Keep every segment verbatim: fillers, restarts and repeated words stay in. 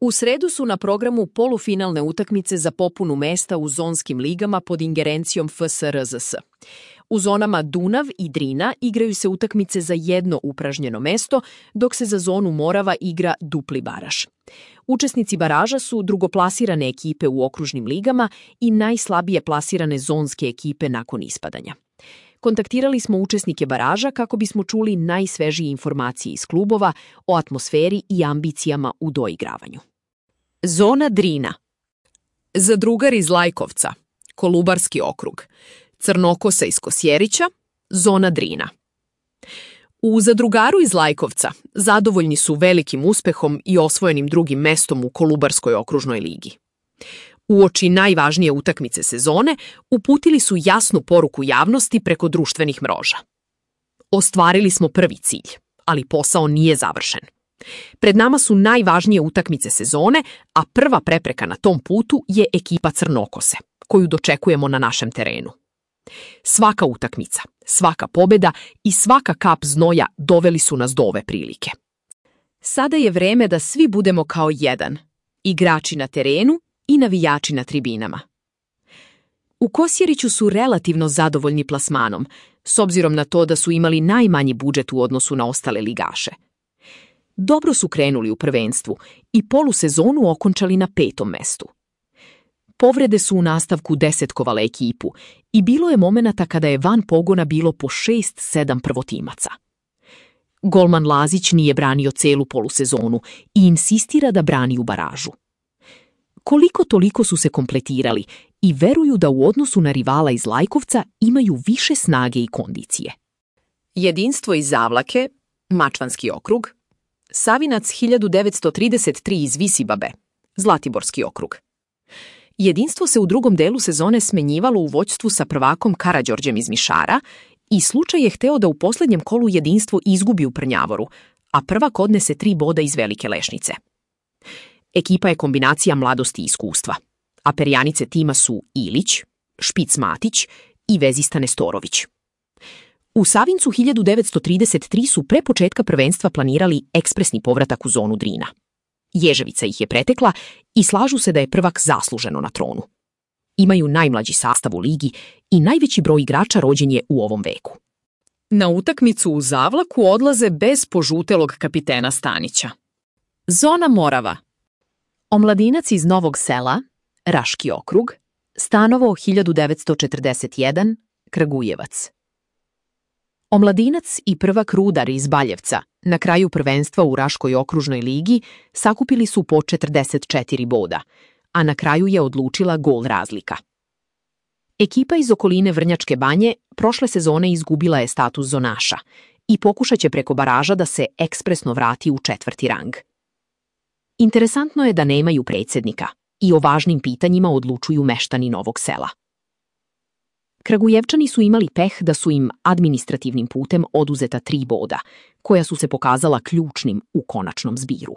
U sredu su na programu polufinalne utakmice za popunu mesta u zonskim ligama pod ingerencijom F S R Z S. U zonama Dunav i Drina igraju se utakmice za jedno upražnjeno mesto, dok se za zonu Morava igra dupli baraž. Učesnici baraža su drugoplasirane ekipe u okružnim ligama i najslabije plasirane zonske ekipe nakon ispadanja. Kontaktirali smo učesnike baraža kako bismo čuli najsvežije informacije iz klubova o atmosferi i ambicijama u doigravanju. Zona Drina. Zadrugar iz Lajkovca, Kolubarski okrug, Crnokosa iz Kosjerića, zona Drina. U Zadrugaru iz Lajkovca zadovoljni su velikim uspehom i osvojenim drugim mestom u Kolubarskoj okružnoj ligi. Uoči najvažnije utakmice sezone uputili su jasnu poruku javnosti preko društvenih mreža. Ostvarili smo prvi cilj, ali posao nije završen. Pred nama su najvažnije utakmice sezone, a prva prepreka na tom putu je ekipa Crnokose, koju dočekujemo na našem terenu. Svaka utakmica, svaka pobjeda i svaka kap znoja doveli su nas do ove prilike. Sada je vreme da svi budemo kao jedan, igrači na terenu i navijači na tribinama. U Kosjeriću su relativno zadovoljni plasmanom, s obzirom na to da su imali najmanji budžet u odnosu na ostale ligaše. Dobro su krenuli u prvenstvu i polusezonu okončali na petom mestu. Povrede su u nastavku desetkovale ekipu i bilo je momenata kada je van pogona bilo po šest sedam prvotimaca. Golman Lazić nije branio celu polusezonu i insistira da brani u baražu. Koliko toliko su se kompletirali i veruju da u odnosu na rivala iz Lajkovca imaju više snage i kondicije. Jedinstvo iz Zavlake, Mačvanski okrug, Savinac hiljadu devetsto trideset tri iz Visibabe, Zlatiborski okrug. Jedinstvo se u drugom delu sezone smenjivalo u vođstvu sa prvakom Karađorđem iz Mišara i slučaj je hteo da u posljednjem kolu jedinstvo izgubi u Prnjavoru, a prvak odnese tri boda iz Velike Lešnice. Ekipa je kombinacija mladosti i iskustva, a perjanice tima su Ilić, Špic Matić i vezista Nestorović. U Savincu hiljadu devetsto trideset tri su pre početka prvenstva planirali ekspresni povratak u zonu Drina. Ježevica ih je pretekla i slažu se da je prvak zasluženo na tronu. Imaju najmlađi sastav u ligi i najveći broj igrača rođen je u ovom veku. Na utakmicu u Zavlaku odlaze bez požutelog kapitena Stanića. Zona Morava. Omladinac iz Novog Sela, Raški okrug, Stanovo hiljadu devetsto četrdeset jedan, Kragujevac. Omladinac i prvak Rudar iz Baljevca na kraju prvenstva u Raškoj okružnoj ligi sakupili su po četrdeset četiri boda, a na kraju je odlučila gol razlika. Ekipa iz okoline Vrnjačke Banje prošle sezone izgubila je status zonaša i pokušat će preko baraža da se ekspresno vrati u četvrti rang. Interesantno je da nemaju predsjednika i o važnim pitanjima odlučuju meštani Novog Sela. Kragujevčani su imali peh da su im administrativnim putem oduzeta tri boda, koja su se pokazala ključnim u konačnom zbiru.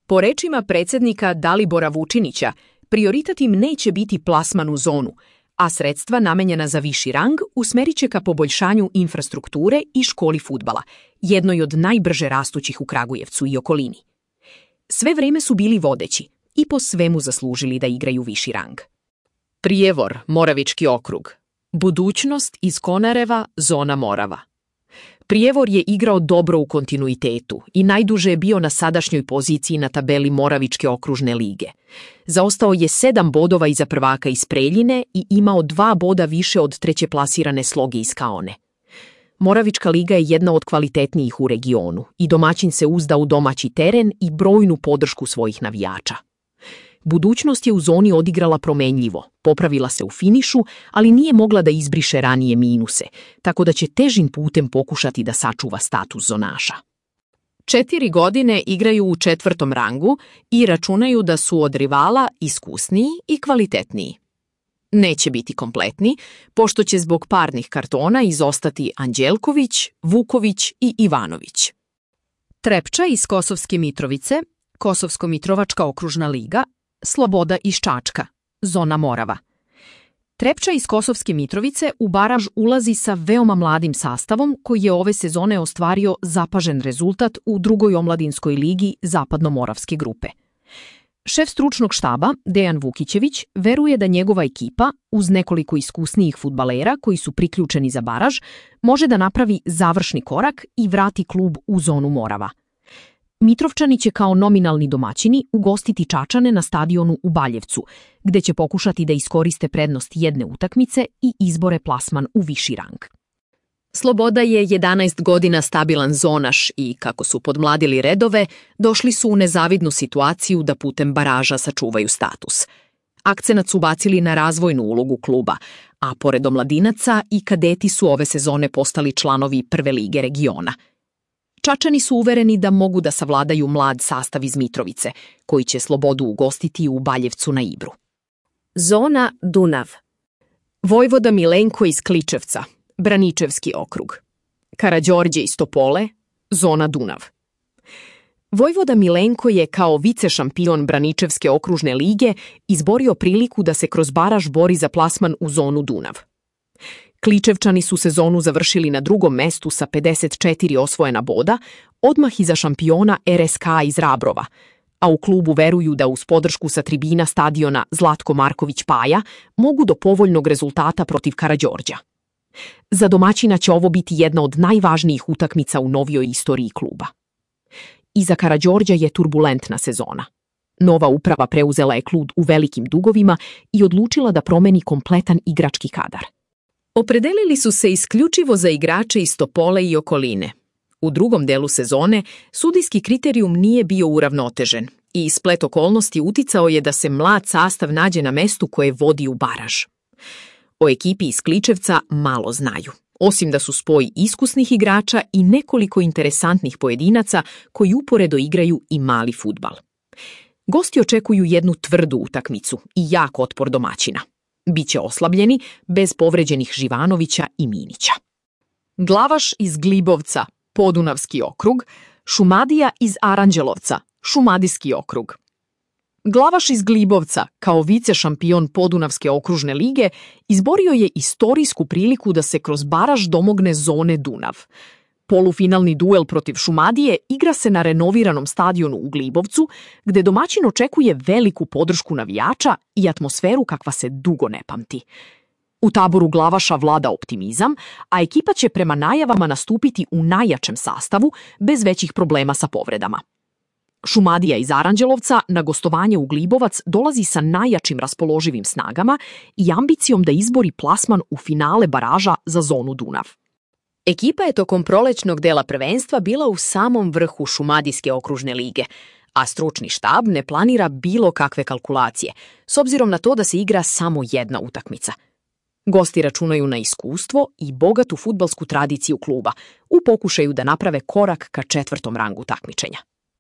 Po rečima predsjednika Dalibora Vučinića, prioritet im neće biti plasman u zonu, a sredstva namenjena za viši rang usmerit će ka poboljšanju infrastrukture i školi fudbala, jednoj od najbrže rastućih u Kragujevcu i okolini. Sve vreme su bili vodeći i po svemu zaslužili da igraju viši rang. Prijevor, Moravički okrug. Budućnost iz Konareva, zona Morava. Prijevor je igrao dobro u kontinuitetu i najduže je bio na sadašnjoj poziciji na tabeli Moravičke okružne lige. Zaostao je sedam bodova iza prvaka iz Preljine i imao dva boda više od treće plasirane Sloge iz Kaone. Moravička liga je jedna od kvalitetnijih u regionu i domaćin se uzda u domaći teren i brojnu podršku svojih navijača. Budućnost je u zoni odigrala promenljivo, popravila se u finišu, ali nije mogla da izbriše ranije minuse, tako da će težim putem pokušati da sačuva status zonaša. Četiri godine igraju u četvrtom rangu i računaju da su od rivala iskusniji i kvalitetniji. Neće biti kompletni, pošto će zbog parnih kartona izostati Anđelković, Vuković i Ivanović. Trepča iz Kosovske Mitrovice, Kosovsko-Mitrovačka okružna liga, Sloboda iz Čačka, zona Morava. Trepča iz Kosovske Mitrovice u baraž ulazi sa veoma mladim sastavom koji je ove sezone ostvario zapažen rezultat u drugoj omladinskoj ligi Zapadno-Moravske grupe. Šef stručnog štaba, Dejan Vukićević, veruje da njegova ekipa, uz nekoliko iskusnijih fudbalera koji su priključeni za baraž, može da napravi završni korak i vrati klub u zonu Morava. Mitrovčani će kao nominalni domaćini ugostiti Čačane na stadionu u Baljevcu, gde će pokušati da iskoriste prednost jedne utakmice i izbore plasman u viši rang. Sloboda je jedanaest godina stabilan zonaš i, kako su podmladili redove, došli su u nezavidnu situaciju da putem baraža sačuvaju status. Akcenat su bacili na razvojnu ulogu kluba, a pored omladinaca i kadeti su ove sezone postali članovi prve lige regiona. Čačani su uvereni da mogu da savladaju mlad sastav iz Mitrovice, koji će Slobodu ugostiti u Baljevcu na Ibru. Zona Dunav. Vojvoda Milenko iz Kličevca, Braničevski okrug. Karađorđe iz Topole, zona Dunav. Vojvoda Milenko je kao vicešampion Braničevske okružne lige izborio priliku da se kroz baraž bori za plasman u zonu Dunav. Kličevčani su sezonu završili na drugom mestu sa pedeset četiri osvojena boda, odmah iza šampiona R S K iz Rabrova, a u klubu veruju da uz podršku sa tribina stadiona Zlatko Marković Paja mogu do povoljnog rezultata protiv Karađorđa. Za domaćina će ovo biti jedna od najvažnijih utakmica u novijoj istoriji kluba. Iza Karađorđa je turbulentna sezona. Nova uprava preuzela je klub u velikim dugovima i odlučila da promeni kompletan igrački kadar. Opredelili su se isključivo za igrače iz Topole i okoline. U drugom delu sezone sudijski kriterijum nije bio uravnotežen i splet okolnosti uticao je da se mlad sastav nađe na mestu koje vodi u baraž. O ekipi iz Kličevca malo znaju, osim da su spoj iskusnih igrača i nekoliko interesantnih pojedinaca koji uporedo igraju i mali fudbal. Gosti očekuju jednu tvrdu utakmicu i jak otpor domaćina. Biće oslabljeni, bez povređenih Živanovića i Minića. Glavaš iz Glibovca, Podunavski okrug, Šumadija iz Aranđelovca, Šumadijski okrug. Glavaš iz Glibovca, kao vicešampion Podunavske okružne lige, izborio je istorijsku priliku da se kroz baraž domogne zone Dunav. Polufinalni duel protiv Šumadije igra se na renoviranom stadionu u Glibovcu, gde domaćin očekuje veliku podršku navijača i atmosferu kakva se dugo ne pamti. U taboru Glavaša vlada optimizam, a ekipa će prema najavama nastupiti u najjačem sastavu, bez većih problema sa povredama. Šumadija iz Aranđelovca na gostovanje u Glibovac dolazi sa najjačim raspoloživim snagama i ambicijom da izbori plasman u finale baraža za zonu Dunav. Ekipa je tokom prolećnog dela prvenstva bila u samom vrhu Šumadijske okružne lige, a stručni štab ne planira bilo kakve kalkulacije, s obzirom na to da se igra samo jedna utakmica. Gosti računaju na iskustvo i bogatu fudbalsku tradiciju kluba u pokušaju da naprave korak ka četvrtom rangu takmičenja.